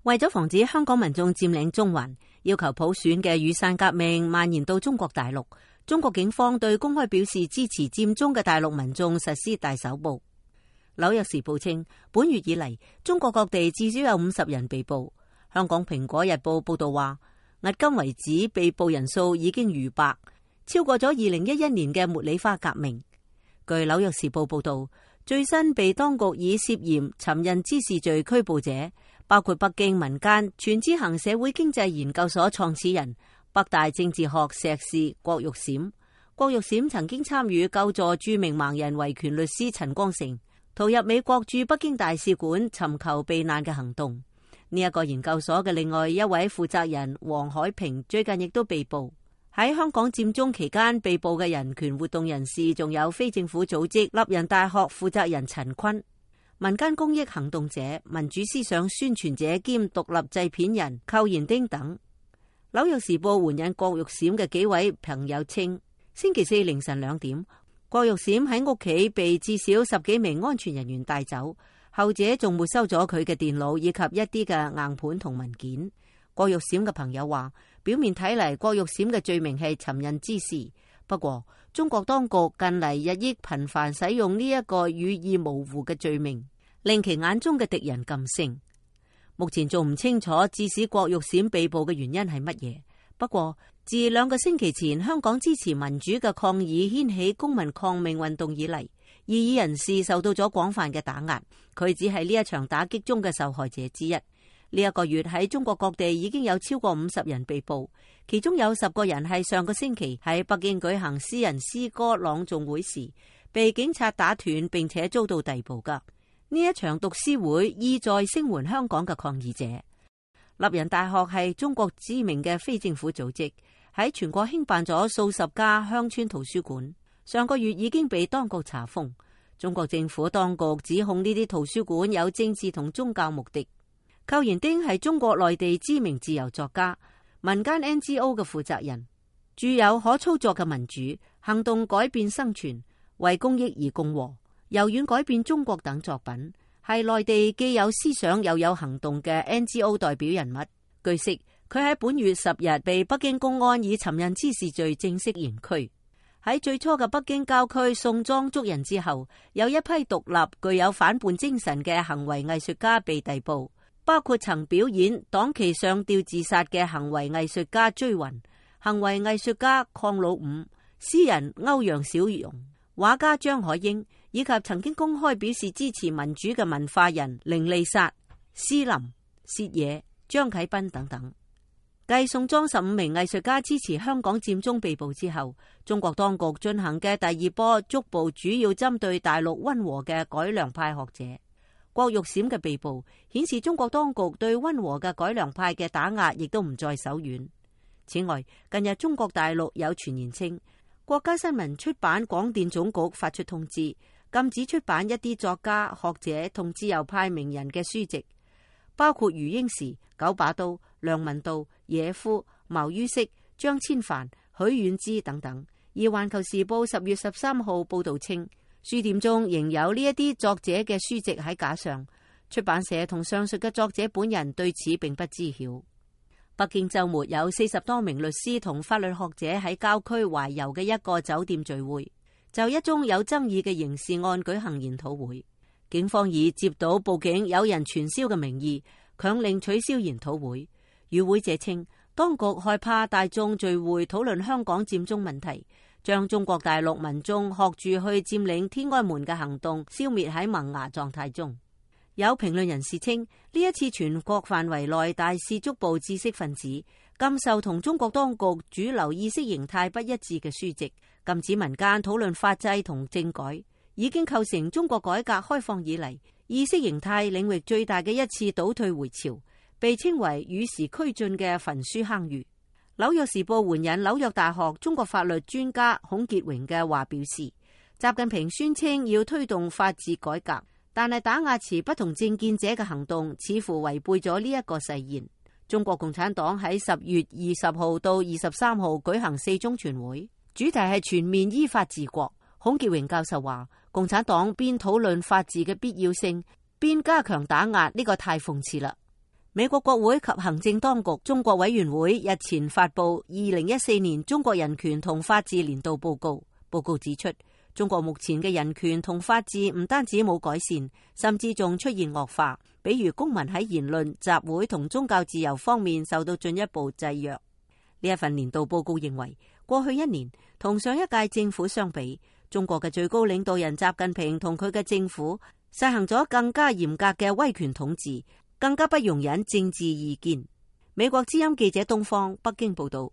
為咗防止香港民眾佔領中環，要求普選嘅雨傘革命蔓延到中國大陸，中國警方對公開表示支持佔中嘅大陸民眾實施大搜捕。紐約時報稱，本月以嚟，中國各地至少有50人被捕。香港蘋果日報報道話，迄今為止被捕人數已經逾百，超過咗2011年嘅茉莉花革命。據紐約時報報道，最新被當局以涉嫌尋釁滋事罪拘捕者，包括北京民間全知行社會經濟研究所創始人、北大政治學碩士郭玉閃。郭玉閃曾經參與救助著名盲人維權律師陳光誠逃入美國駐北京大使館尋求避難嘅行動。呢一個研究所嘅另外一位負責人黃海平最近亦都被捕。喺香港佔中期間被捕嘅人權活動人士，仲有非政府組織立人大學負責人陳坤、民間公益行動者、民主思想宣傳者兼獨立製片人寇延丁等。紐約時報援引郭玉閃嘅幾位朋友稱，星期四凌晨2點，郭玉閃喺屋企被至少10幾名安全人員帶走，後者仲沒收咗佢嘅電腦以及一啲嘅硬盤同文件。郭玉閃嘅朋友話，表面睇嚟郭玉閃嘅罪名係尋釁滋事，不過中國當局近嚟日益頻繁使用呢一個語意模糊嘅罪名，令其眼中嘅敵人噤聲。目前仲唔清楚致使郭玉閃被捕嘅原因係乜嘢。不過自2個星期前香港支持民主嘅抗議掀起公民抗命運動以嚟，異議人士受到咗廣泛嘅打壓，佢只係呢一場打擊中嘅受害者之一。呢一個月喺中國各地已經有超過50人被捕，其中有10個人係上個星期喺北京舉行私人詩歌朗誦會時被警察打斷並且遭到逮捕噶。呢一場讀詩會意在聲援香港嘅抗議者。立人大學係中國知名嘅非政府組織，喺全國興辦咗數十家鄉村圖書館，上個月已經被當局查封。中國政府當局指控呢啲圖書館有政治同宗教目的。寇延丁係中國內地知名自由作家、民間 NGO 嘅負責人，著有可操作嘅民主、行動改變生存、為公益而共和、柔軟改變中國等作品，係內地既有思想又有行動嘅 NGO 代表人物。據悉，佢喺本月10日被北京公安以尋釁滋事罪正式刑拘。喺最初嘅北京郊區送莊捉人之後，有一批獨立具有反叛精神嘅行為藝術家被逮捕，包括曾表演黨旗上吊自殺嘅行為藝術家追雲、行為藝術家鄺老五、詩人歐陽小蓉、畫家張海英，以及曾經公開表示支持民主嘅文化人凌麗莎、施林、薛野、張啟斌等等。繼送莊15名藝術家支持香港佔中被捕之後，中國當局進行嘅第2波捉捕主要針對大陸溫和嘅改良派學者。郭玉閃嘅被捕顯示中國當局對溫和嘅改良派嘅打壓亦都唔再手軟。此外，近日中國大陸有傳言稱，國家新聞出版廣電總局發出通知，禁止出版一啲作家、學者同自由派名人嘅書籍，包括余英時、九把刀、梁文道、野夫、茅于軾、張千帆、許遠之等等。而環球時報10月13號報道稱，書店中仍有呢一啲作者嘅書籍喺架上，出版社同上述嘅作者本人對此並不知曉。北京周末有40多名律師同法律學者喺郊區懷柔嘅一個酒店聚會，就一宗有爭議嘅刑事案舉行研討會。警方以接到報警有人傳銷嘅名義，強令取消研討會。與會者稱，當局害怕大眾聚會討論香港佔中問題，將中國大陸民眾學住去佔領天安門嘅行動消滅喺萌芽狀態中。有評論人士稱，呢一次全國範圍內大肆捉捕知識分子，禁售同中國當局主流意識形態不一致嘅書籍，禁止民間討論法制同政改，已經構成中國改革開放以嚟意識形態領域最大嘅一次倒退回潮，被稱為與時俱進嘅焚書坑儒。紐約時報援引紐約大學中國法律專家孔傑榮嘅話表示，習近平宣稱要推動法治改革，但係打壓持不同政見者嘅行動似乎違背咗呢一個誓言。中國共產黨喺10月20號到23號舉行4中全會，主題係全面依法治國。孔傑榮教授話，共產黨邊討論法治嘅必要性，邊加強打壓，呢個太諷刺啦。美國國會及行政當局中國委員會日前發布2014年中國人權同法治年度報告。報告指出，中國目前嘅人權同法治唔單止冇改善，甚至仲出現惡化。比如公民喺言論、集會同宗教自由方面受到進一步制約。呢一份年度報告認為，過去一年同上一屆政府相比，中國嘅最高領導人習近平同佢嘅政府實行咗更加嚴格嘅威權統治，更加不容忍政治意見。美國之音記者東方北京報道。